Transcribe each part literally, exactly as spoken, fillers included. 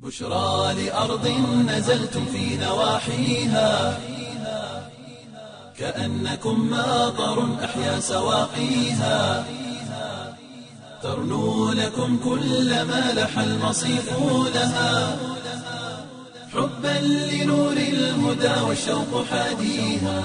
بشرى لأرض نزلتم في نواحيها كأنكم ماطر أحيا سواقيها ترنو لكم كل ما لح المصيف لها حبا لنور الهدى والشوق حاديها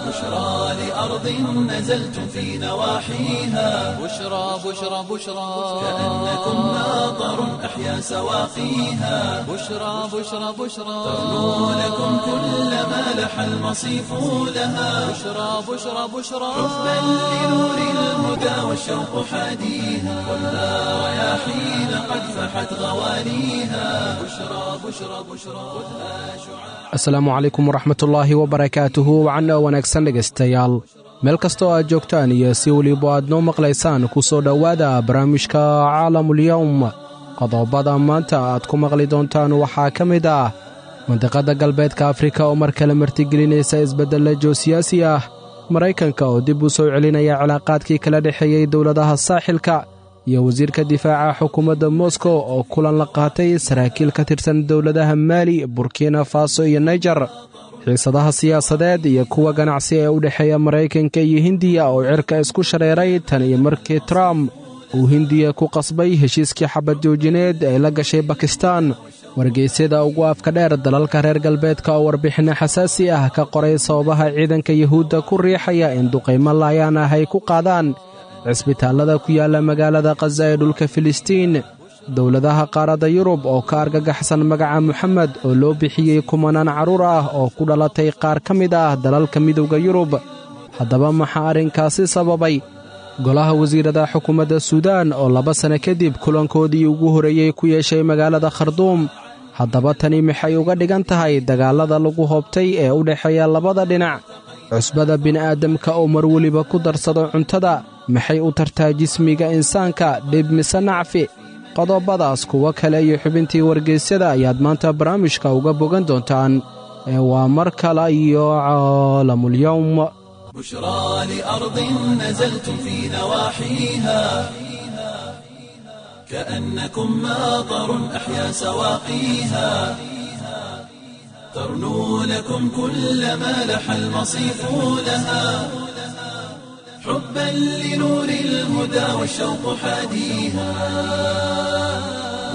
بشرى لأرض نزلتم في نواحيها بشرى بشرى بشرى كأنكم ماطر أحيا سواقيها بشرى بشرى بشرى ترنو لكم كل ما لح المصيف لها بشرى بشرى بشرى حبا لنور الهدى والشوق حاديها والنار رياحين قد فحت غواليها بشرى بشرى بشرى خذها شعاع Asalaamu calaykum waraxmatullaahi wabarakaatuhu wacanna wanaagsan dhegaystayaal meel kastoo aad joogtaan iyo si weliba aad noo maqlaysaan ku soo dhowaada barnaamijka caalamulyowm. Qodobada maanta aad ku maqli doontaan waxaa ka mid ah mandiqadda galbeedka Afrika oo mar kale martigelinaysa isbeddella joosiyaasi ah, Maraykanka oo dib u soo celinaya cilaaqaadkii kala dhexeeyey dowladaha saaxilka, iyo wasiirka difaaca xukuumadda Moskow oo kulan la qaatay saraakiil ka tirsan dowladaha Maali, Burkina Faso iyo Naijer, xiisadaha siyaasadeed iyo kuwa ganacsi ee u dhexeeya Maraykanka iyo Hindiya oo cirka isku shareeray tan iyo markii Trump uu Hindiya ku qasbay heshiiskii xabad joojineed ee la gashay Bakistan, wargeysyada ugu afka dheer dalalka reer galbeedka oo warbixinno xasaasi ah ka qoray sababaha ciidanka Yuhuudda ku riixaya in duqaymo laayaan ah ay ku qaadaan cisbitaallada ku yaalla magaalada Khaza ee dhulka Filistiin, dowladaha qaaradda Yurub oo ka argagaxsan magaca Moxamed oo loo bixiyey kumanaan carruur ah oo ku dhalatay qaar ka mid ah dalalka midowda Yurub. Haddaba maxaa arrinkaasi sababay? Golaha wasiirada xukuumadda Suudaan oo laba sano kadib kulankoodii ugu horreeyey ku yeeshay magaalada Kharduum. Haddaba tani maxay uga dhigan tahay dagaallada lagu hoobtay ee u dhexeeya labada dhinac? Cusbada bini'aadamka oo mar weliba ku darsado cuntada maxay u tartaa jismiga insaanka, dhib mise nacfi? Qodobadaas, kuwo kale iyo xubintii wargeysyada ayaad maanta barnaamijka uga bogan doontaan ee waa mar kale iyo caalamulyowm. بشرى لأرض نزلتم في نواحيها كأنكم ماطر أحيا سواقيها ترنو لكم كل ما لح المصيف لها حبا لنور الهدى والشوق حاديها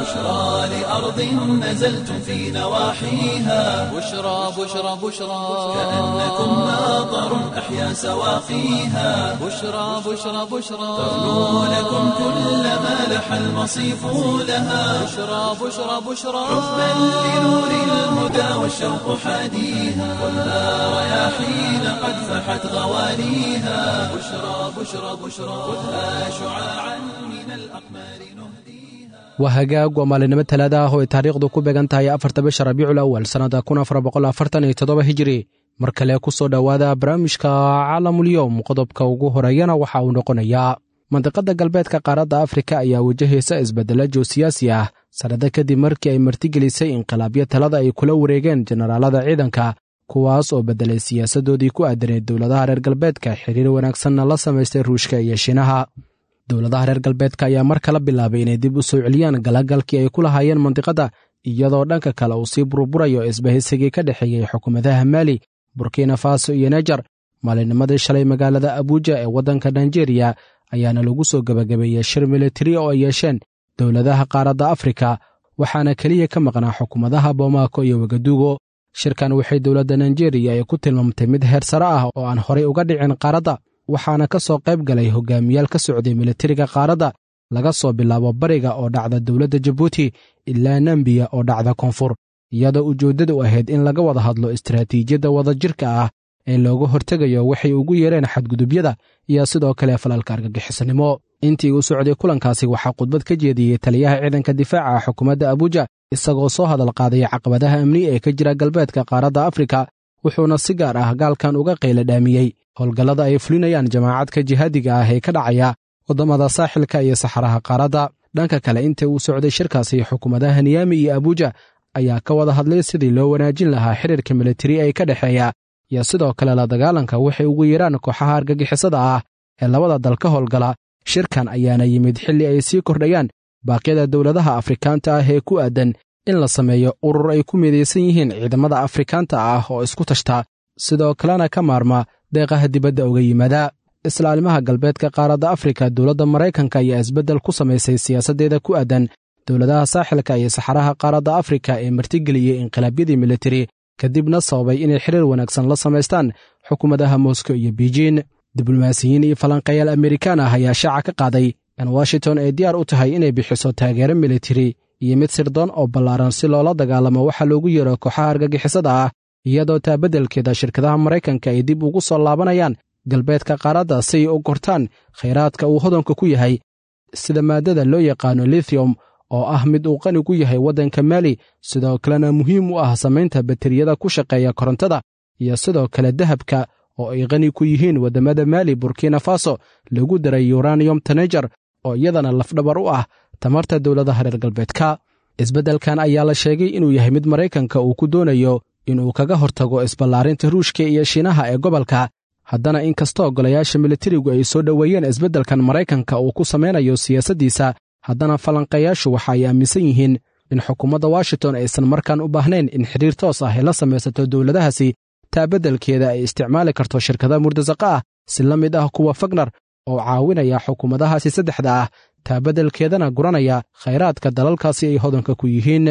بشرى لأرض نزلتم في نواحيها بشرى بشرى بشرى كأنكم ماطر أحيا سواقيها بشرى بشرى بشرى ترنو لكم كل ما لح المصيف لها بشرى بشرى بشرى حبا لنور الهدى والشوق حاديها والنار رياحين قد فحت غواليها بشرى بشرى بشرى خذها شعاعا من الأقمار نهديها. Waa hagaag, waa maalinimo talaada ah oo ay taariikhdu ku beegan tahay afarta bisha Rabiicul Awal sannada kun afar boqol afartan iyo toddoba hijiri. Mar kale ku soo dhowaada barnaamijka Caalamulyowm. Qodobka ugu horeeyana waxa uu noqonayaa mandiqadda galbeedka qaaradda Afrika ayaa wajahaysa isbeddelo joosiyaasi ah sannado kadib markii ay martigelisay inqilaabyo talada ay kula wareegeen jenaraalada ciidanka, kuwaas oo beddelay siyaasadoodii ku aadaneed dowladaha reer galbeedka, xiriir wanaagsanna la samaystay Ruushka iyo Shiinaha. Dowladaha reer galbeedka ayaa mar kala bilaabay inay dib u soo celiyaan galagalkii ay ku lahaayeen mandiqadda, iyadoo dhanka kale uu sii burburayo isbahaysigii ka dhexeeyey xukuumadaha Maali, Burkina Faso iyo Nejar. Maalinnimadii shalay magaalada Abuuja ee waddanka Nigeria ayaana lagu soo gebagabeeyey shir militari oo ay yeesheen dowladaha qaaradda Afrika, waxaana keliya ka maqnaa xukuumadaha Bomaako iyo Wagadugo. Shirkan waxay dowladda Nigeria ay ku tilmaamtay mid heer sare ah oo aan horay uga dhicin qaaradda, waxaana ka soo qayb galay hogaamiyaal ka socday militariga qaaradda, laga soo bilaabo bariga oo dhacda dowladda Jabuuti ilaa Nambiya oo dhacda koonfur, iyadoo ujeeddadu ahayd in laga wada hadlo istaraatiijiyadda wadajirka ah ee looga hortegayo waxay ugu yeereen xadgudubyada iyo sidoo kale falalka argagixisanimo. Intii uu socday kulankaasi waxaa khudbad ka jeediyey taliyaha ciidanka difaaca xukuumadda Abuuja, isagoo soo hadal qaaday caqabadaha amni ee ka jira galbeedka qaaradda Afrika, wuxuuna si gaar ah gaalkan uga qayla dhaamiyey howlgallada ay fulinayaan jamaacadka jihaadiga ah ee ka dhacaya waddamada saaxilka iyo saxaraha qaaradda. Dhanka kale, intii uu socday shirkaasi, xukuumadaha Niyaami iyo Abuuja ayaa ka wada hadlay sidii loo wanaajin lahaa xiriirka militari ee ka dhexeeya iyo sidoo kale la dagaalanka waxay ugu yeeraan kooxaha argagixisada ah ee labada dal ka howlgala. Shirkan ayaana yimid xilli ay sii kordhayaan Baaqyada dowladaha Afrikaanta ah ee ku aadan in la sameeyo urur ay ku midaysan yihiin ciidamada Afrikaanta ah oo isku tashta, sidoo kalena ka maarma deeqaha dibadda uga yimaada. Isla arrimaha galbeedka qaaradda Afrika, dowladda Maraykanka ayaa isbeddel ku samaysay siyaasaddeeda ku aadan dowladaha saaxilka iyo saxaraha qaaradda Afrika ee martigeliyey inqilaabyadii militari, kadibna sababay inay xiriir wanaagsan la samaystaan xukuumadaha Moscow iyo Beijing. Diblomaasiyiin iyo falanqeeyaal Amerikaan ah ayaa shaaca ka qaaday in Washington ay diyaar u tahay inay bixiso taageero militari iyo mid sirdoon oo ballaaran si loola dagaalamo waxa loogu yeero kooxaha argagixisada ah, iyadoo taa beddelkeeda shirkadaha Maraykanka ay dib ugu soo laabanayaan galbeedka qaaradda si ay u gortaan khayraadka uu hodanka ku yahay, sida maadada loo yaqaano lithium oo ah mid uu qani ku yahay waddanka Maali, sidoo kalena muhiim u ah samaynta bateriyada ku shaqeeya korontada, iyo sidoo kale dahabka oo ay qani ku yihiin waddamada Maali, Burkina Faso, lagu daray uranium tanejar oo iyadana lafdhabar u ah tamarta dowladaha reer galbeedka. Isbeddelkan ayaa la sheegay inuu yahay mid Maraykanka uu ku doonayo inuu kaga hortago isballaarinta Ruushka iyo Shiinaha ee gobolka. Haddana inkastoo golayaasha militarigu ay soo dhoweeyeen isbeddelkan Maraykanka uu ku samaynayo siyaasaddiisa, haddana falanqeeyaashu waxa ay aaminsan yihiin in xukuumadda Washington aysan markaan u baahnayn in xidhiir toos ah ay la samaysato dowladahaasi, taa beddelkeeda ay isticmaali karto shirkada murtasaqa ah si la mid ah kuwa Fagner oo caawinaya xukuumadahaasi saddexda ah, taa beddelkeedana guranaya khayraadka dalalkaasi ay hodanka ku yihiin.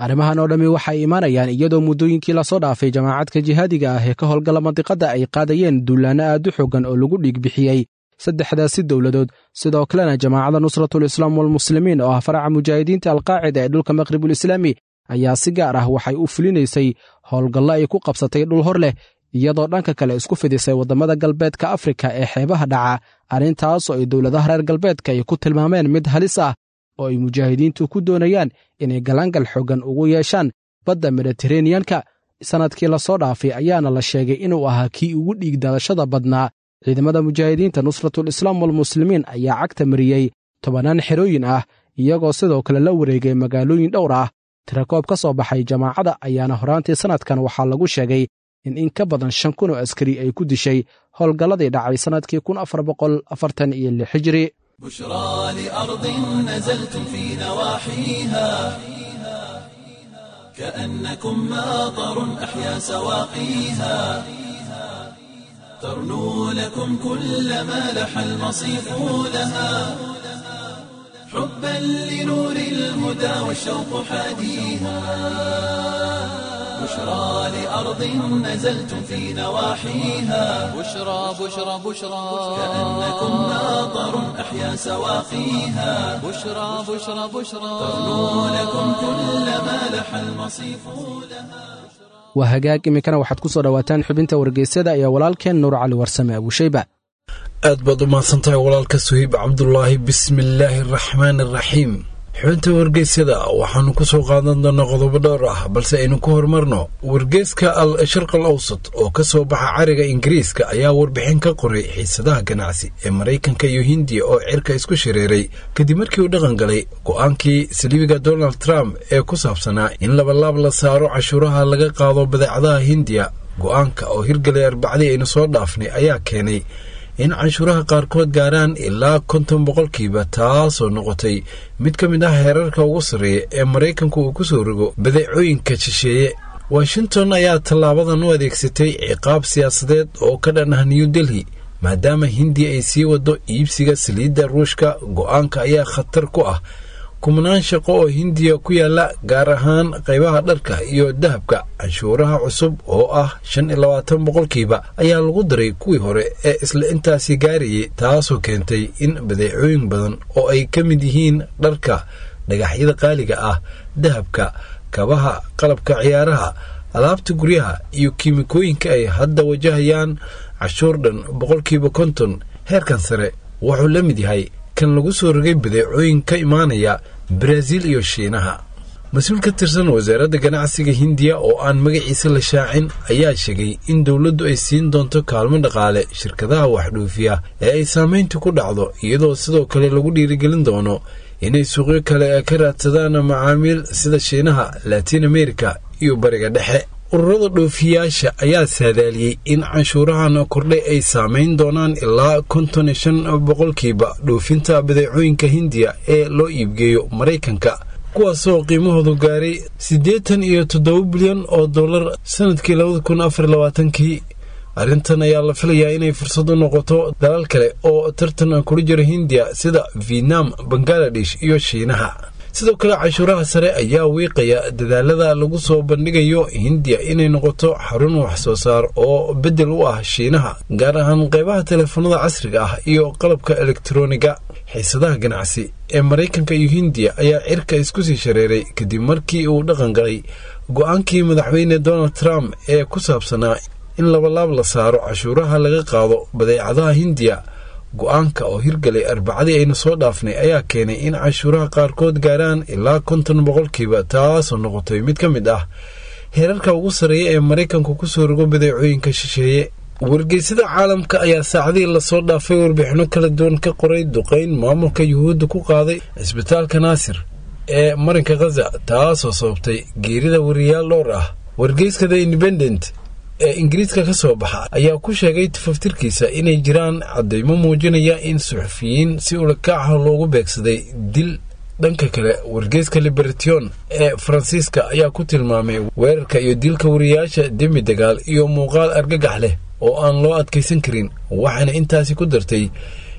Arrimahan oo dhammi waxay imaanayaan iyadoo muddooyinkii lasoo dhaafay jamaacadka jihaadiga ah ee ka howlgala mandiqadda ay qaadayeen duulaanno aad u xooggan oo lagu dhiig bixiyey saddexdaasi dowladood. Sidoo kalena jamaacadda Nusratul Islaam walmuslimiin oo ah faraca mujaahidiinta Alqaacida ee dhulka Maqribul Islaami ayaa si gaar ah waxay u fulinaysay howlgallo ay ku qabsatay dhul hor leh, iyadoo dhanka kale isku fidisay waddamada galbeedka Afrika ee xeebaha dhaca, arrintaas oo ay dowladaha reer galbeedka ay ku tilmaameen mid halis ah oo ay mujaahidiintu ku doonayaan inay galaangal xooggan ugu yeeshaan badda Mediteraneanka. Sannadkii lasoo dhaafay ayaana la sheegay inuu ahaa kii ugu dhiig daadashada badnaa. Ciidamada mujaahidiinta Nusratul Islaam walmuslimiin ayaa cagta mariyey tobannaan xerooyin ah, iyagoo sidoo kale la wareegay magaalooyin dhowr ah. Tirakoob ka soo baxay jamaacada ayaana horaantii sannadkan waxaa lagu sheegay in in ka badan shan kun oo askari ay ku dishay howlgalladii dhacay sannadkii kun afar boqol afartan iyo lix hijri. بشرى لأرض نزلتم في نواحيها كأنكم ماطر أحيا سواقيها، ترنو لكم كل ما لح المصيف لها، حبا لنور الهدى والشوق حاديها. بشرى لأرض نزلتم في نواحيها بشرى بشرى بشرى كأنكم ماطر أحيا سواقيها، بشرى بشرى بشرى ترنو لكم كل ما لح المصيف لها. Waa hagaag, iminkana waxaad ku soo dhowaataan xubinta wargeysyada iyo walaalkeen Nuur Cali Warsame Abuushayba. Aad baad u mahadsantahay walaalka Suhiib Cabdulaahi. Bismillaahi araxmaan araxiim. Xubinta wargeysyada waxaanu ku soo qaadan doonaa qodobo dhowr ah, balse aynu ku horumarno wargeyska Al Sharq al Awsat oo ka soo baxa cariga Ingiriiska ayaa warbixin ka qoray xiisadaha ganacsi ee Maraykanka iyo Hindiya oo cirka isku shareeray kadib markii uu dhaqan galay go'aankii saliibiga Donald Trump ee ku saabsanaa in labalaab la saaro cashuuraha laga qaado badeecadaha Hindiya. Go'aanka oo hirgalay Arbacadii aynu soo dhaafnay ayaa keenay in canshuuraha qaarkood gaaraan ilaa konton boqolkiiba, taasoo noqotay mid ka mid ah heerarka ugu sarreeya ee Maraykanku uu ku soo rogo badeecooyinka shisheeye. Washington ayaa tallaabadan u adeegsatay ciqaab siyaasadeed oo ka dhan ah New Delhi, maadaama Hindiya ay sii wado iibsiga saliidda Ruushka. Go'aanka ayaa khatar ku ah kumnaan shaqo oo Hindiya ku yaala, gaar ahaan qaybaha dharka iyo dahabka. Canshuuraha cusub oo ah shan iyo labaatan boqolkiiba ayaa lagu daray kuwii hore ee isla intaasi gaarayay, taasoo keentay in badeecooyin badan oo ay ka mid yihiin dharka, dhagaxyada qaaliga ah, dahabka, kabaha, qalabka ciyaaraha, alaabta guryaha iyo kiimikooyinka ay hadda wajahayaan cashuur dhan boqolkiiba konton. Heerkan sare wuxuu la mid yahay kan lagu soo rogay badeecooyin ka imaanaya Baraaziil iyo Shiinaha. Mas-uul ka tirsan wasaaradda ganacsiga Hindiya oo aan magaciisa la shaacin ayaa sheegay in dowladdu ay siin doonto kaalmo dhaqaale shirkadaha waxdhoofiya ee ay saamayntu ku dhacdo, iyadoo sidoo kale lagu dhiirigelin doono inay suuqyo kale ka raadsadaan macaamiil sida Shiinaha, Latin America iyo Bariga Dhexe. Ururada dhoofiyaasha ayaa saadaaliyey in canshuurahan kordhay ay saameyn doonaan ilaa konton iyo shan boqolkiiba dhoofinta badeecooyinka Hindiya ee loo iibgeeyo Maraykanka, kuwaasoo qiimahoodu gaaray siddeetan iyo toddoba bilyan oo dollar sanadkii labada kun afar labaatankii. Arrintan ayaa la filayaa inay fursad u noqoto dalal kale oo tartan kula jira Hindiya sida Vietnam, Bangaladesh iyo Shiinaha. Sidoo kale canshuuraha sare ayaa wiiqaya dadaalada lagu soo bandhigayo Hindiya inay noqoto xarun wax soo saar oo beddel u ah Shiinaha, gaar ahaan qeybaha teleefanada casriga ah iyo qalabka elektroniga. Xiisadaha ganacsi ee Maraykanka iyo Hindiya ayaa cirka isku sii shareeray kadib markii uu dhaqan galay go'aankii madaxweyne Donald Trump ee ku saabsanaa in labalaab la saaro cashuuraha laga qaado badeecadaha Hindiya. Go'aanka oo hirgalay Arbacadii aynu soo dhaafnay ayaa keenay in cashuuraha qaarkood gaaraan ilaa konton boqolkiiba, taasoo noqotay mid ka mid ah heerarka ugu sarreeya ee Maraykanku kusoo rogo badeecooyinka shisheeye. Wargeysada caalamka ayaa saacadihii lasoo dhaafay warbixino kala duwan ka qoray duqeyn maamulka Yuhuudda ku qaaday cisbitaalka Naasir ee marinka Khaza, taasoo sababtay geerida wariyaal dhowr ah. Wargeyska The Independent ee Ingiriiska ka soo baxa ayaa ku sheegay tafaftirkiisa inay jiraan caddaymo muujinaya in suxufiyiin si ulakaaca loogu beegsaday dil. Dhanka kale, wargeyska Liberation ee Faransiiska ayaa ku tilmaamay weerarka iyo dilka wariyaasha dembi dagaal iyo muuqaal argagax leh oo aan loo adkaysan karin, waxaana intaasi ku dartay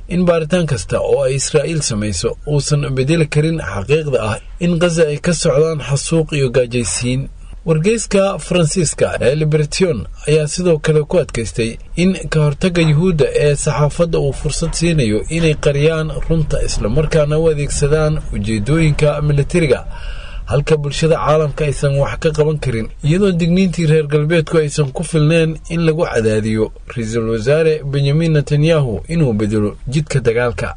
in baaritaan kasta oo ay Israa'iil samayso uusan bedeli karin xaqiiqda ah in Khaza ay ka socdaan xasuuq iyo gaajaysiin. Wargeyska Faransiiska ee Liberation ayaa sidoo kale ku adkaystay in ka hortagga Yuhuudda ee saxaafadda uu fursad siinayo inay qariyaan runta islamarkaana u adeegsadaan ujeedooyinka militariga, halka bulshada caalamka aysan wax ka qaban karin, iyadoo digniintii reer galbeedku aysan ku filneen in lagu cadaadiyo ra-iisul wasaare Benyamin Netanyahu inuu bedelo jidka dagaalka.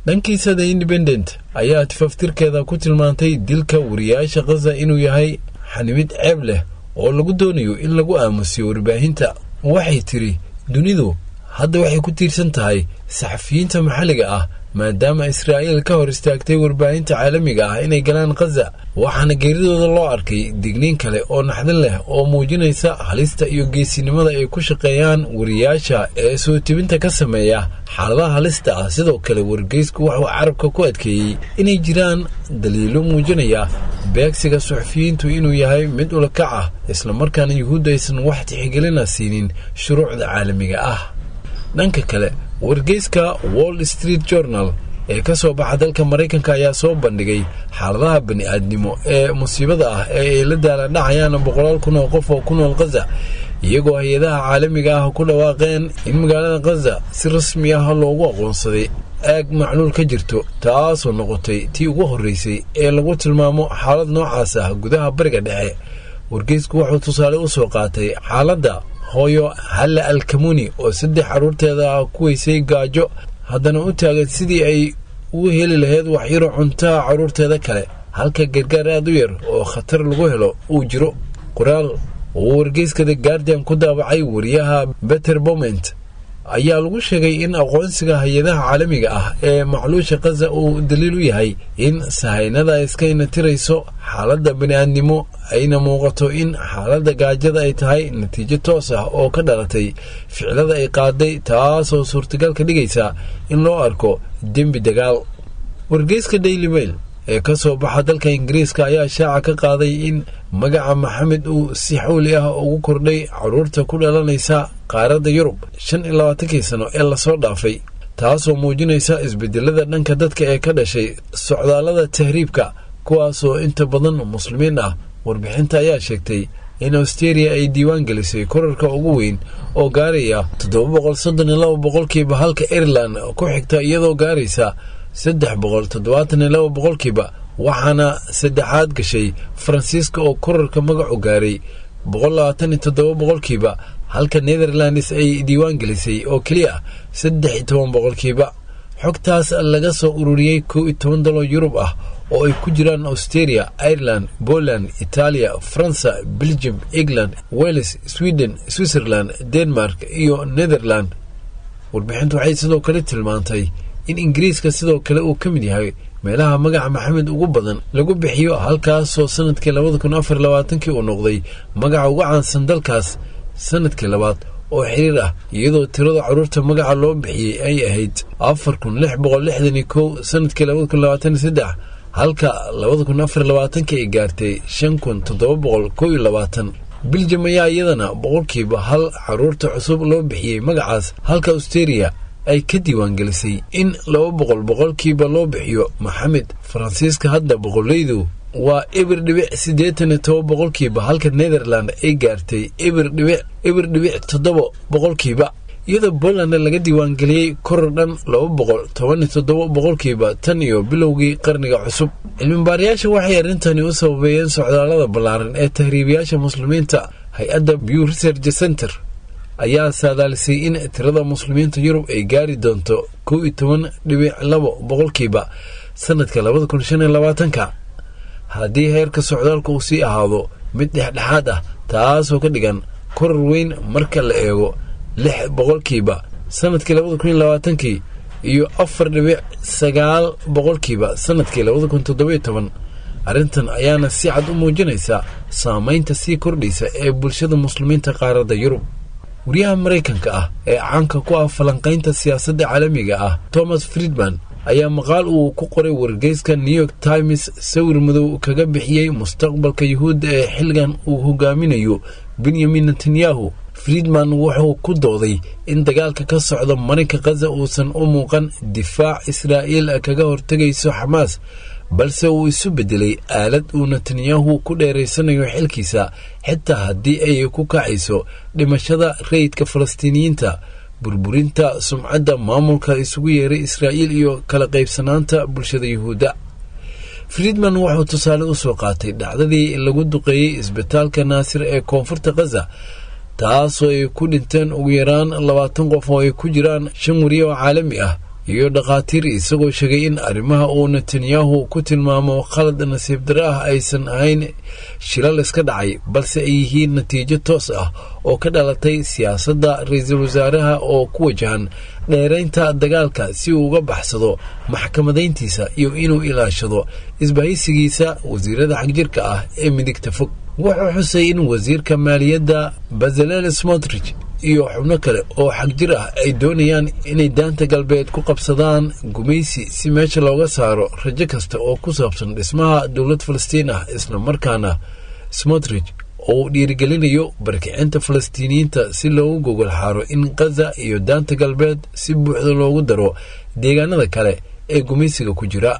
Dhankiisa, The Independent ayaa tifaftirkeeda ku tilmaantay dilka wariyaasha Khaza inuu yahay xanimid ceeb leh oo lagu doonayo in lagu aamusiyo warbaahinta. Waxay tiri dunidu hadda waxay ku tiirsan tahay saxafiyiinta maxalliga ah, maadaama Israa'iil ka hor istaagtay warbaahinta caalamiga ah inay galaan Khaza, waxaana geeridooda loo arkay digniin kale oo naxdin leh oo muujinaysa halista iyo geesinimada ay ku shaqeeyaan wariyaasha ee soo tibinta ka sameeya xaaladaha halista ah. Sidoo kale wargeysku wuxuu carabka ku adkeeyey inay jiraan daliilo muujinaya beegsiga suxufiyiintu inuu yahay mid ulakac ah, islamarkaana Yuhuudda aysan wax tixgelina siinin shuruucda caalamiga ah. Dhanka kale, wargeyska Wall Street Journal ee ka soo baxa dalka Maraykanka ayaa soo bandhigay xaaladaha bani-aadnimo ee musiibada ah ee ay la daaladhacayaan boqolaal kun oo qof oo ku nool Khaza, iyagoo hay-adaha caalamiga ah ku dhawaaqeen in magaalada Khaza si rasmi ah loogu aqoonsaday aag macluul ka jirto, taasoo noqotay tii ugu horreysay ee lagu tilmaamo xaalad noocaas ah gudaha Bariga Dhexe. Wargeysku wuxuu tusaale u soo qaatay xaaladda hooyo Halla Alkamuni oo saddex carruurteeda ah ku weysay gaajo, haddana u taagan sidii ay ugu heli lahayd waxyaro cuntaha carruurteeda kale, halka gargaar aad u yar oo khatar lagu helo uu jiro. Qoraal uu wargeyska The Guardian ku daabacay wariyaha Beter Boment ayaa lagu sheegay in aqoonsiga hay-adaha caalamiga ah ee macluusha Khaza uu daliil u yahay in sahaynada iska inatirayso xaaladda bani-aadnimo, ayna muuqato in xaaladda gaajada ay tahay natiijo toos ah oo ka dhalatay ficilada ay qaaday, taasoo suurtagal ka dhigaysa in loo arko dembi dagaal. Wargeyska Daily Mail ee ka soo baxa dalka Ingiriiska ayaa shaaca ka qaaday in magaca Maxamed uu si xawli ah ugu kordhay carruurta ku dhalanaysa qaaradda Yurub shan iyo labaatankii sano ee lasoo dhaafay, taasoo muujinaysa isbedelada dhanka dadka ee ka dhashay socdaallada tahriibka, kuwaasoo inta badan muslimiin ah. Warbixinta ayaa sheegtay in Australia ay diiwaan gelisay korarka ugu weyn oo gaaraya toddoba boqol soddon iyo laba boqolkiiba, halka Ireland ku xigta iyadoo gaaraysa saddex boqol toddobaatan iyo laba boqolkiiba, waxaana saddexaad gashay Faransiiska oo korarka magacu gaaray boqol labaatan iyo toddoba boqolkiiba, halka Netherlands ay diiwaan gelisay oo keliya saddex iyo toban boqolkiiba. Xogtaas laga soo ururiyey kow iyo toban dalo Yurub ah oo ay ku jiraan Australia, Ireland, Poland, Italia, Faransa, Belgium, England, Wales, Sweden, Switzerland, Denmark iyo Netherland. Warbixintu waxay sidoo kale tilmaantay in Ingiriiska sidoo kale uu ka mid yahay meelaha magaca Maxamed ugu badan lagu bixiyo, halkaasoo sanadkii labada kun afar labaatankii uu noqday magaca ugu caansan dalkaas sanadkii labaad oo xiriir ah, iyadoo tirada carruurta magaca loo bixiyey ay ahayd afar kun lix boqol lixdan iyo kow sanadkii labada kun labaatan iyo saddex, halka labada kun afar labaatankii ay gaartay shan kun toddoba boqol kow iyo labaatan. Biljam ayaa iyadana boqolkiiba hal carruurta cusub loo bixiyey magacaas, halka Australia ay ka diiwaangelisay in laba boqol boqolkiiba loo bixiyo Maxamed. Faransiiska hadda boqoleydu waa eber dhibic siddeetan iyo toba boqolkiiba, halka Netherland ay gaartay eber dhibic eber dhibic toddoba boqolkiiba, iyadoo Poland laga diiwaangeliyey koror dhan laba boqol toban iyo toddoba boqolkiiba tan iyo bilowgii qarniga cusub. Cilmibaarayaasha waxay arrintani u sababeeyeen socdaallada ballaaran ee tahriibayaasha muslimiinta. Hay-adda Pew Research Center ayaa saadaalisay in tirada muslimiinta Yurub ay gaari doonto kow iyo toban dhibic labo boqolkiiba sanadka labada kun shan iyo labaatanka haddii heerka socdaalka uu sii ahaado mid dhexdhexaad ah, taasoo ka dhigan koror weyn marka la eego lix boqolkiiba sanadkii labada kun iyo labaatankii iyo afar dhibic sagaal boqolkiiba sanadkii labada kun toddobiyo toban. Arrintan ayaana si cad u muujinaysa saameynta sii kordhaysa ee bulshada muslimiinta qaaradda Yurub. Wariyaha Maraykanka ah ee caanka ku ah falanqaynta siyaasadda caalamiga ah Thomas Friedman ayaa maqaal uu ku qoray wargeyska New York Times sawir madow kaga bixiyey mustaqbalka Yuhuudda ee xilligan uu hogaaminayo Benyamin Netanyahu. Friedman wuxuu ku dooday in dagaalka ka socda marinka Khaza uusan u muuqan difaac Israa'iil kaga hortegayso Xamaas, balse uu isu beddelay aalad uu Netanyahu ku dheeraysanayo xilkiisa, xitaa haddii ay ku kacayso dhimashada rayidka Falastiiniyiinta, burburinta sumcadda maamulka isugu yeeray Israa'iil iyo kala qaybsanaanta bulshada Yuhuudda. Friedman wuxuu tusaale u soo qaatay dhacdadii lagu duqeeyey isbitaalka Naasir ee koonfurta Khaza, taasoo ay ku dhinteen ugu yaraan labaatan qof oo ay ku jiraan shan wariye oo caalami ah iyo dhakhaatiir, isagoo sheegay in arrimaha uu Netanyahu ku tilmaamo khalad nasiib darro ah aysan ahayn shilal iska dhacay, balse ay yihiin natiijo toos ah oo ka dhalatay siyaasadda ra-iisul wasaaraha oo ku wajahan dheeraynta dagaalka si uu uga baxsado maxkamadayntiisa iyo inuu ilaashado isbahaysigiisa wasiirada xagjirka ah ee midigta fog. Wuxuu xusay in wasiirka maaliyadda Bezalel Smotrich iyo xubno kale oo xagjir ah ay doonayaan inay daanta galbeed ku qabsadaan gumaysi si meesha looga saaro rajo kasta oo ku saabsan dhismaha dowlad Falastiin ah, isla markaana Smotrich oo uu dhiirigelinayo barkicinta Falastiiniyiinta si loogu gogol xaaro in Khaza iyo daanta galbeed si buuxda loogu daro deegaanada kale ee gumaysiga ku jira.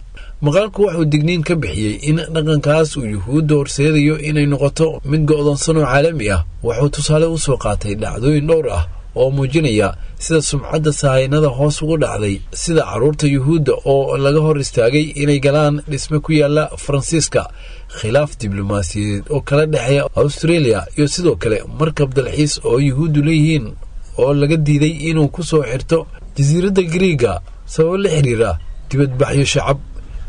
Maqaalku wuxuu digniin ka bixiyey in dhaqankaas uu Yuhuudda horseedayo inay noqoto mid go'doonsan oo caalami ah. Wuxuu tusaale u soo qaatay dhacdooyin dhowr ah oo muujinaya sida sumcadda sahaynada hoos ugu dhacday, sida carruurta Yuhuudda oo laga hor istaagay inay galaan dhisme ku yaala Faransiiska, khilaaf diblomaasiyadeed oo kala dhexeeya Australia, iyo sidoo kale markab dalxiis oo Yuhuuddu leeyihiin oo laga diiday inuu ku soo xirto jasiiradda Gariiga sababo la xiriira dibadbaxyo shacab.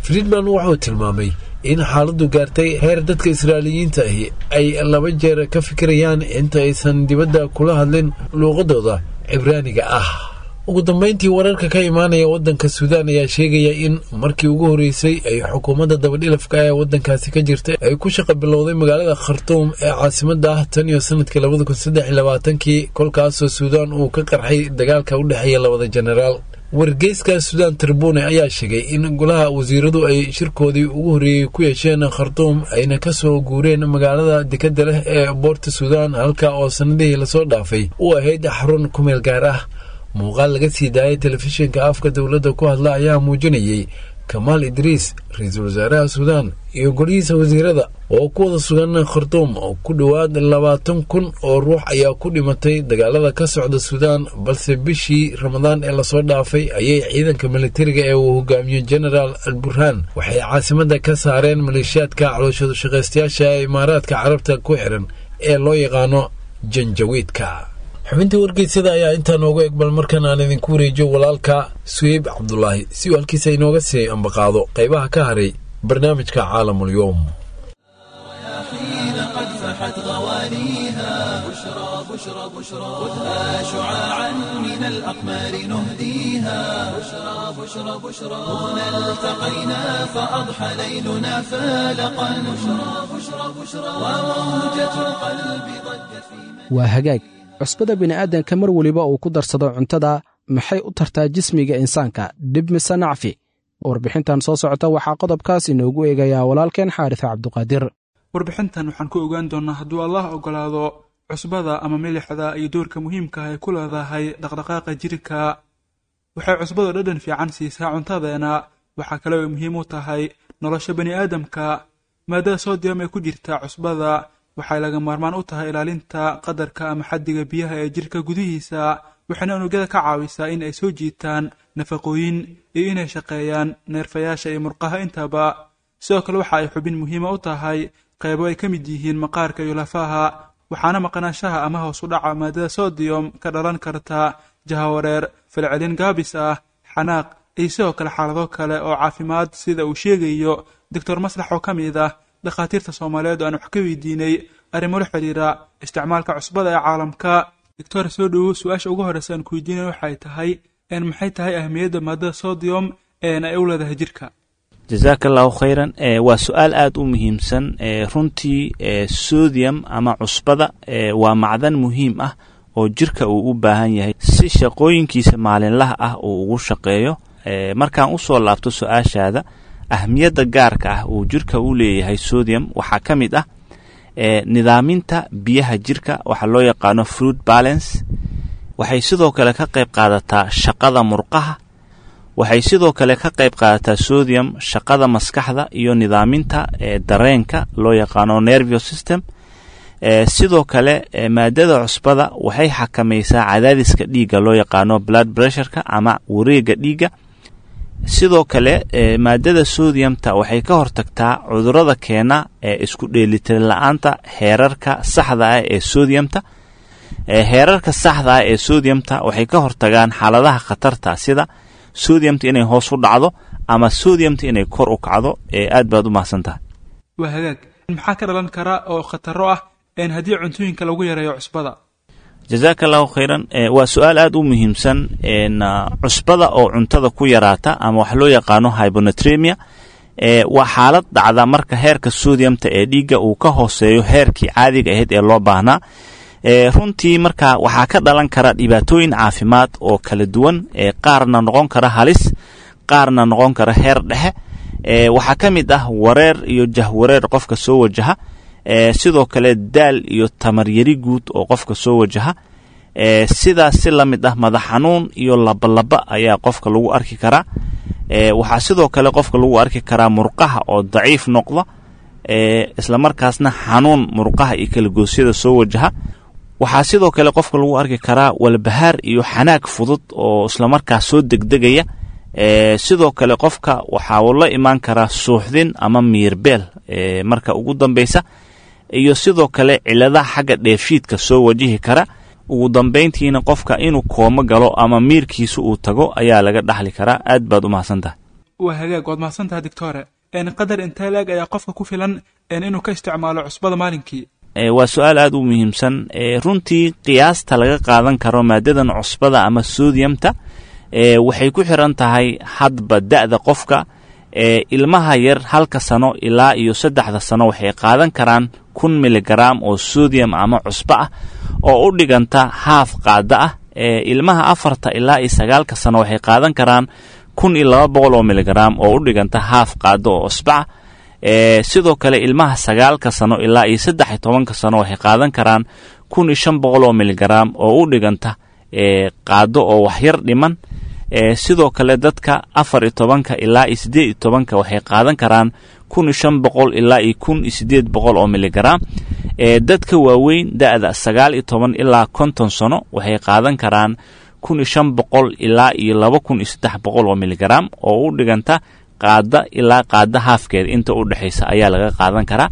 Friedman wuxuu tilmaamay in xaaladdu gaartay heer dadka Israa'iiliyiinta ahi ay laba jeer ka fikirayaan inta aysan dibadda kula hadlin luuqadooda Cibraaniga ah. Ugu dambeyntii, wararka ka imaanaya waddanka Suudaan ayaa sheegaya in markii ugu horreysay ay xukuumadda dabadhilafka ee waddankaasi ka jirta ay ku shaqa bilowday magaalada Khartuum ee caasimadda ah tan iyo sanadkii labada kun saddex iyo labaatankii, kolkaasoo Suudaan uu ka qarxay dagaalka u dhexeeya labada jenaraal. Wargeyska Suudaan Tribune ayaa sheegay in golaha wasiiradu ay shirkoodii ugu horreeyey ku yeesheen Khartuum, ayna ka soo guureen magaalada dekadda leh ee Boorta Suudaan, halka oo sannadihii lasoo dhaafay u ahayd xarun ku meel gaar ah. Muuqaal laga sii daayay telefishinka afka dowladda ku hadla ayaa muujinayey Kamaal Idriis, ra-iisul wasaaraha Suudaan, iyo golihiisa wasiirada oo ku wada sugan Khartuum. Oo ku dhowaad labaatan kun oo ruux ayaa ku dhimatay dagaalada ka socda Suudaan, balse bishii Ramadaan ee lasoo dhaafay ayay ciidanka militariga ee uu hogaamiyo Genaraal Al Burhaan waxay caasimadda ka saareen maleeshiyaadka calooshadu shaqaystayaasha ee Imaaraadka Carabta ku xiran ee loo yaqaano Janjawiidka. Xubintii wargeysyada ayaa intaa noogu egbal. Markan aan idinku wareejiyo walaalka Suheyb Cabdulaahi si uu halkiisa inooga sii ambaqaado qaybaha ka haray barnaamijka Caalamul Yowm. حين قد قد فحت غواليها بشرى بشرى بشرى خذها شعاعا من الأقمار نهديها بشرى بشرى بشرى هنا التقينا فأضحى ليلنا فالقا بشرى بشرى بشرى وموجة القلب ضجت في Waa hagaag. Cusbada bini'aadanka mar weliba uu ku darsado cuntada maxay u tartaa jismiga insaanka, dhib mise nacfi? Warbixintan soo socota waxaa qodobkaas inoogu eegayaa walaalkeen Xaaris Cabduqaadir. Warbixintan waxaan ku ogaan doonnaa, hadduu Allah ogolaado, cusbada ama milixda iyo doorka muhiimka ah ay ku leedahay dhaqdhaqaaqa jirka. Waxay cusbadu dhadhan fiican siisaa cuntadeena, waxaa kale ay muhiim u tahay nolosha bani aadamka. Maadada sodium ee ku jirta cusbada waxay laga maarmaan u tahay ilaalinta qadarka ama xaddiga biyaha ee jirka gudihiisa, waxayna unugyada ka caawisaa in ay soo jiitaan nafaqooyin iyo inay shaqeeyaan neerfayaasha iyo murqaha intaba. Sidoo kale waxa ay xubin muhiima u tahay qaybo ay ka mid yihiin maqaarka iyo lafaha, waxaana maqnaanshaha ama hoos u dhaca maadada sodium ka dhalan karta jahawareer, falcelin gaabis ah, xanaaq iyo sidoo kale xaalado kale oo caafimaad, sida uu sheegayo Doctor Maslax oo ka mid ah dhakhaatiirta Soomaaliyeed oo aan wax ka weydiinay arrimo la xiriira isticmaalka cusbada ee caalamka. Doctor, soo dhowow. Su-aasha ugu horreysa aan ku weydiinay waxay tahay, maxay tahay ahmiyadda maadada sodium een ay u leedahay jirka? Jazaaka Allahu khayran. Waa su-aal aada u muhiimsan runtii. Sodium ama cusbada waa macdan muhiim ah oo jirka uu u baahan yahay si shaqooyinkiisa maalinlaha ah uu ugu shaqeeyo. Markaan usoo laabto su-aashaada, ahmiyadda gaarka ah uu jirka u leeyahay sodium waxaa ka mid ah nidaaminta biyaha jirka, waxaa loo yaqaano fluid balance. Waxay sidoo kale ka qayb qaadataa shaqada murqaha. Waxay sidoo kale ka qayb qaadataa sodium shaqada maskaxda iyo nidaaminta dareenka loo yaqaano nervous system. Sidoo kale maadada cusbada waxay xakamaysaa cadaadiska dhiigga loo yaqaano blood pressureka ama wareega dhiigga. Sidoo kale maadada sodiumta waxay ka hortagtaa cudurada keena ee isku dheelitir la-aanta heerarka saxda ah ee sodiumta. Heerarka saxda ah ee sodiumta waxay ka hortagaan xaaladaha khatarta, sida sodiumta inay hoos u dhacdo ama sodiumta inay kor u kacdo. Aad baad u mahadsan tahay. Waa hagaag. Maxaa ka dhalan kara oo khataro ah een haddii cuntooyinka lagu yareeyo cusbada? Jazaaka Allahu khayran. Waa su-aal aada u muhiimsan. Cusbada oo cuntada ku yaraata ama wax loo yaqaano hyponatremia waa xaalad dhacda marka heerka sodiumta ee dhiigga uu ka hooseeyo heerkii caadiga ahayd ee loo baahnaa. Runtii marka waxaa ka dhalan kara dhibaatooyin caafimaad oo kala duwan, qaarna noqon kara halis, qaarna noqon kara heer dhexe. Waxaa ka mid ah wareer iyo jahwareer qofka soo wajaha, sidoo kale daal iyo tamaryari guud oo qofka soo wajaha. Sidaas si la mid ah madax xanuun iyo labalaba ayaa qofka lagu arki karaa. Waxaa sidoo kale qofka lagu arki karaa murqaha oo daciif noqda, islamarkaasna xanuun murqaha iyo kalagoosyada soo wajaha. Waxaa sidoo kale qofka lagu arki karaa walbahaar iyo xanaag fudud oo islamarkaas soo degdegaya. Sidoo kale qofka waxaa uu la imaan karaa suuxdin ama miirbeel marka ugu dambeysa, iyo sidoo kale ciladaha xagga dheefshiidka soo wajihi kara. Ugu dambeyntiina qofka inuu koomo galo ama miirkiisa uu tago ayaa laga dhaxli karaa. Aad baad u mahadsan tahay. Waa hagaag, waad mahadsan tahay doctore. Qadar intee laeg ayaa qofka ku filan inuu ka isticmaalo cusbada maalinkii? Waa su-aal aada u muhiimsan runtii. Qiyaasta laga qaadan karo maadadan cusbada ama sodiumta waxay ku xiran tahay hadba da'da qofka. Ilmaha yar halka sano ilaa iyo saddexda sano waxay qaadan karaan kun miligram oo sodium ama cusbo ah oo u dhiganta haaf qaada ah. Ilmaha afarta ilaa iyo sagaalka sano waxay qaadan karaan kun iyo laba boqol oo miligram oo u dhiganta haaf qaado oo cusbo ah. Sidoo kale ilmaha sagaalka sano ilaa iyo saddex iyo tobanka sano waxay qaadan karaan kun iyo shan boqol oo miligram oo u dhiganta qaado oo waxyar dhiman. Sidoo kale dadka afar iyo tobanka ilaa iyo siddeed iyo tobanka waxay qaadan karaan kun iyo shan boqol ilaa iyo kun iyo siddeed boqol oo miligram. Dadka waaweyn da'da sagaal iyo toban ilaa konton sano waxay qaadan karaan kun iyo shan boqol ilaa iyo laba kun iyo saddex boqol oo miligram oo u dhiganta qaada ilaa qaada haafkeeda inta u dhexaysa ayaa laga qaadan karaa.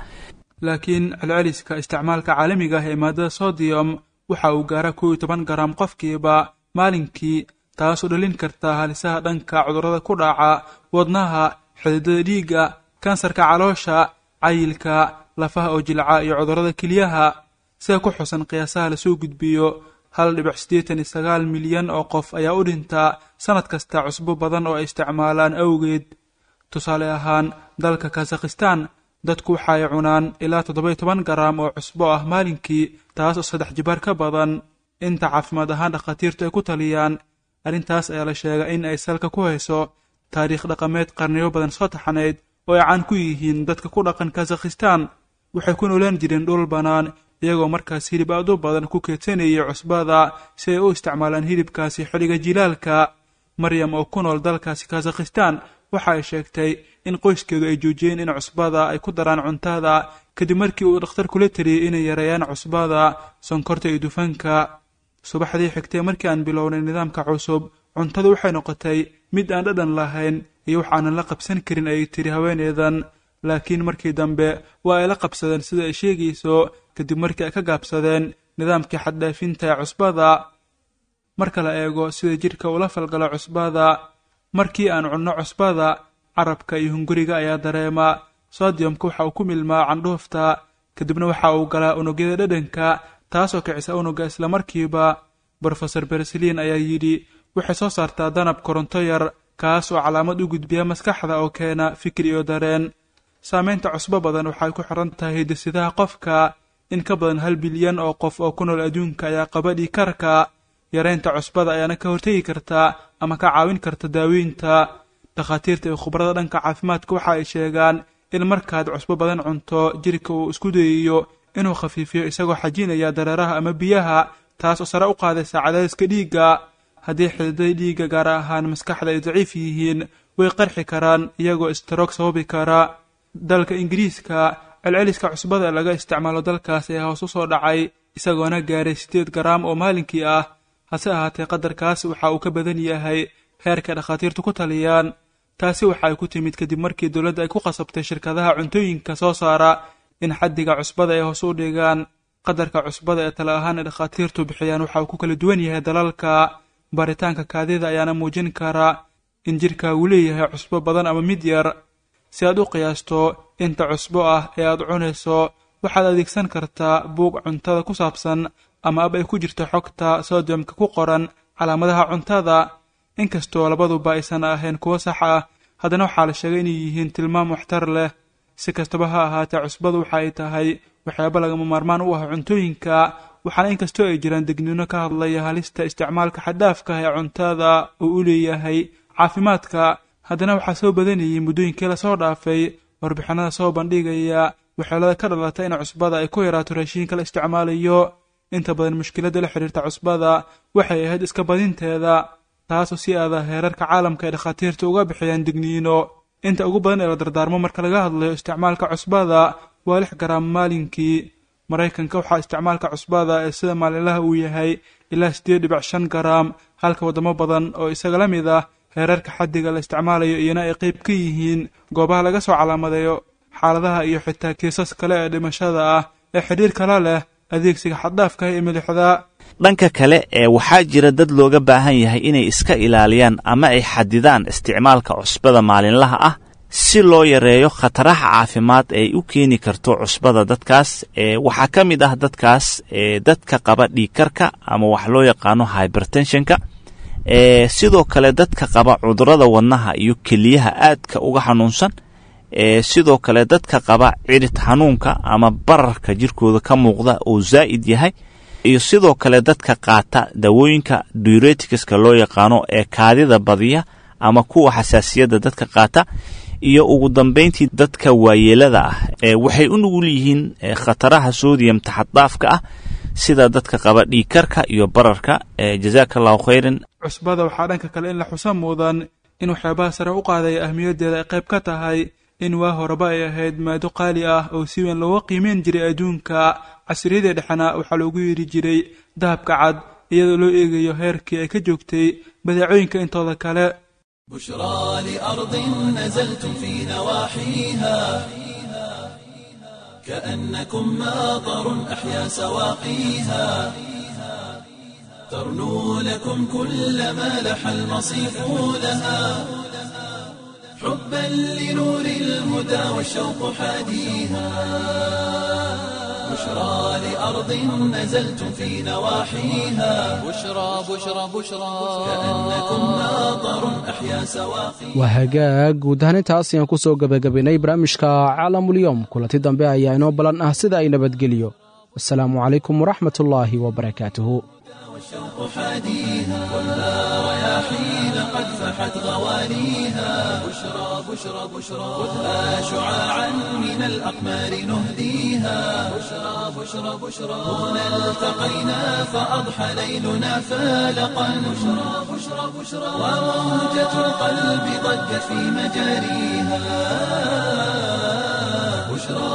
Laakiin celceliska isticmaalka caalamiga ah ee maadada sodium waxa uu gaaraa kow iyo toban garam qofkiiba maalinkii, taasoo dhalin karta halisaha dhanka cudurrada ku dhaca wadnaha, xididada dhiigga, kansarka caloosha, cayilka, lafaha oo jilca iyo cudurrada keliyaha. Sida ku xusan qiyaasaha lasoo gudbiyo, hal dhibic siddeetan iyo sagaal milyan oo qof ayaa u dhinta sanad kasta cusbo badan oo ay isticmaalaan awgeed. Tusaale ahaan, dalka Kazakhistan dadku waxa ay cunaan ilaa toddoba-iyo toban garaam oo cusbo ah maalinkii, taas oo saddex jibaar ka badan inta caafimaad ahaan dhakhaatiirtu ay ku taliyaan. Arrintaas ayaa la sheegaa in ay salka ku hayso taariikh dhaqameed qarniyo badan soo taxanayd oo ay caan ku yihiin dadka ku dhaqan Kazakhistan. Waxay ku noolaan jireen dhul bannaan, iyagoo markaas hilib aad u badan ku keedsanayay cusbada si ay u isticmaalaan hilibkaasi xilliga jilaalka. Maryam oo ku nool dalkaasi Kazakhistan waxa ay sheegtay in qoyskeedu ay joojiyeen in cusbada ay ku daraan cuntada kadib markii uu dhakhtar kula taliyey inay yareeyaan cusbada, sonkorta iyo dufanka. Subaxdii xigtay markii aan bilownay nidaamka cusub, cuntadu waxay noqotay mid aan dhadhan lahayn iyo wax aanan la qabsan karin, ayay tiri haweeneydan. Laakiin markii dambe waa ay la qabsadeen sida ay sheegayso, kadib markii ay ka gaabsadeen nidaamkii xaddhaafinta ee cusbada. Marka la eego sida jidhka ula falgalo cusbada, markii aan cunno cusbada, carabka iyo hunguriga ayaa dareema. Sodiyomka waxa uu ku milmaa candhuufta, kadibna waxa uu galaa unugyada dhadhanka, taasoo kicisa unugga islamarkiiba. Brofesor Berslin ayaa yidhi, waxay soo saartaa danab koronto yar, kaas oo calaamad u gudbiya maskaxda oo keena fikir iyo dareen. Saameynta cusbo badan waxay ku xiran tahay hidde-sidaha qofka. In ka badan hal bilyan oo qof oo ku nool adduunka ayaa qaba dhiigkarka. Yareynta cusbada ayaana ka hortegi karta ama ka caawin karta daaweynta. Dhakhaatiirta iyo khubarada dhanka caafimaadka waxa ay sheegaan in markaad cusbo badan cunto, jirka uu isku dayayo inuu khafiifiyo isagoo xajinaya dareeraha ama biyaha, taas oo sare u qaadaysa cadaadiska dhiigga. Haddii xididada dhiigga gaar ahaan maskaxda ay daciif yihiin, way qarxi karaan iyagoo istaroog sababi kara. Dalka Ingiriiska, celceliska cusbada laga isticmaalo dalkaas ayaa hoos u soo dhacay, isagoona gaaray siddeed garaam oo maalinkii ah. Hase ahaatee, qadarkaas waxa uu ka badan yahay heerka dhakhaatiirtu ku taliyaan. Taasi waxa ay ku timid kadib markii dowladda ay ku qasabtay shirkadaha cuntooyinka soo saara in xaddiga cusbada ay hoos u dhigaan. Qadarka cusbada ee tala ahaan ay dhakhaatiirtu bixiyaan waxa uu ku kala duwan yahay dalalka. Baaritaanka kaadida ayaana muujin kara in jirkaagu leeyahay cusbo badan ama mid yar. Si aad u qiyaasto inta cusbo ah ee aad cunayso, waxaad adeegsan kartaa buug cuntada ku saabsan ama ab ay ku jirto xogta sodiyomka ku qoran calaamadaha cuntada. Inkastoo labaduba aysan ahayn kuwo sax ah, haddana waxaa la sheegay inay yihiin tilmaam waxtar leh. Si kastaba ha ahaatee, cusbadu waxa ay tahay waxyaabo lagama maarmaan u ah cuntooyinka, waxaana inkastoo ay jiraan degniino ka hadlaya halista isticmaalka xadhaafka ah ee cuntada uu u leeyahay caafimaadka, haddana waxaa soo badanayay muddooyinkii lasoo dhaafay warbixinada soo bandhigaya waxyeelada ka dhalata in cusbada ay ku yaraato raashiinka la isticmaalayo. Inta badan mushkiladda la xiriirta cusbada waxay ahayd iska badinteeda, taasoo si aada heerarka caalamka ay dhakhaatiirta uga bixiyaan digniino. Inta ugu badan ee la dardaarmo marka laga hadlayo isticmaalka cusbada waa lix garaam maalinkii. Maraykanka waxaa isticmaalka cusbada ee sida maalinlaha uu yahay ilaa siddeed dhibic shan garaam, halka waddamo badan oo isaga la mid ah heerarka xaddiga la isticmaalayo iyana ay qayb ka yihiin goobaha laga soo calaamadeeyo xaaladaha iyo xitaa kiisas kale ee dhimashada ah ee xidhiir kala leh adeegsiga xaddaafka ah ee milixda. Dhanka kale ee waxaa jira dad looga baahan yahay inay iska ilaaliyaan ama ay xadidaan isticmaalka cusbada maalinlaha ah si loo yareeyo khataraha caafimaad ee u keeni karto cusbada dadkaas. Ee waxaa ka mid ah dadkaas ee dadka qaba dhiigkarka ama wax loo yaqaano hypertensionka, ee sidoo kale dadka qaba cudurrada wadnaha iyo keliyaha aadka uga xanuunsan, ee sidoo kale dadka qaba cirid xanuunka ama bararka jirkooda ka muuqda oo zaa'id yahay, iyo sidoo kale dadka qaata dawooyinka diureticska loo yaqaano ee kaadida badiya ama kuwa xasaasiyadda dadka qaata, iyo ugu dambayntii dadka waayeelada ah ee waxay u nugul yihiin khataraha sodium taxaddaafka ah sida dadka qaba dhiigkarka iyo bararka. Jazaaka allahu khayran. Cusbada waxaa dhanka kale in la xusa mudan in waxyaabaha sare u qaadaya ahmiyaddeeda ay qayb ka tahay in waa horeba ay ahayd maado qaali ah oo si weyn looga qiimeyn jiray adduunka. Casriyadii dhexena waxaa loogu yeeri jiray dahabka cad, iyadoo loo eegayo heerkii ay ka joogtay badeecooyinka intooda kale. بشرى لأرض نزلتم في نواحيها كأنكم ماطر أحيا سواقيها، ترنو لكم كل ما لح المصيف لها، حبا لنور الهدى والشوق حاديها بشرى لأرض نزلتم في نواحيها بشرى بشرى بشرى كأنكم ماطر أحيا سواقيها Waa hagaag, guud ahaan intaas ayaan ku soo gebagabaynay barnaamijka Caalamulyoom. Kulanti dambe ayaa inoo balan ah, sida ay nabadgeliyo. Wasalaamu calaykum waraxmatullaahi wabarakaatuhu. والشوق حاديها والنار رياحين قد فحت غواليها بشرى بشرى بشرى خذها شعاعا من الأقمار نهديها بشرى بشرى بشرى هنا التقينا فأضحى ليلنا فالقا بشرى بشرى بشرى وموجة القلب ضجت في مجاريها بشرى.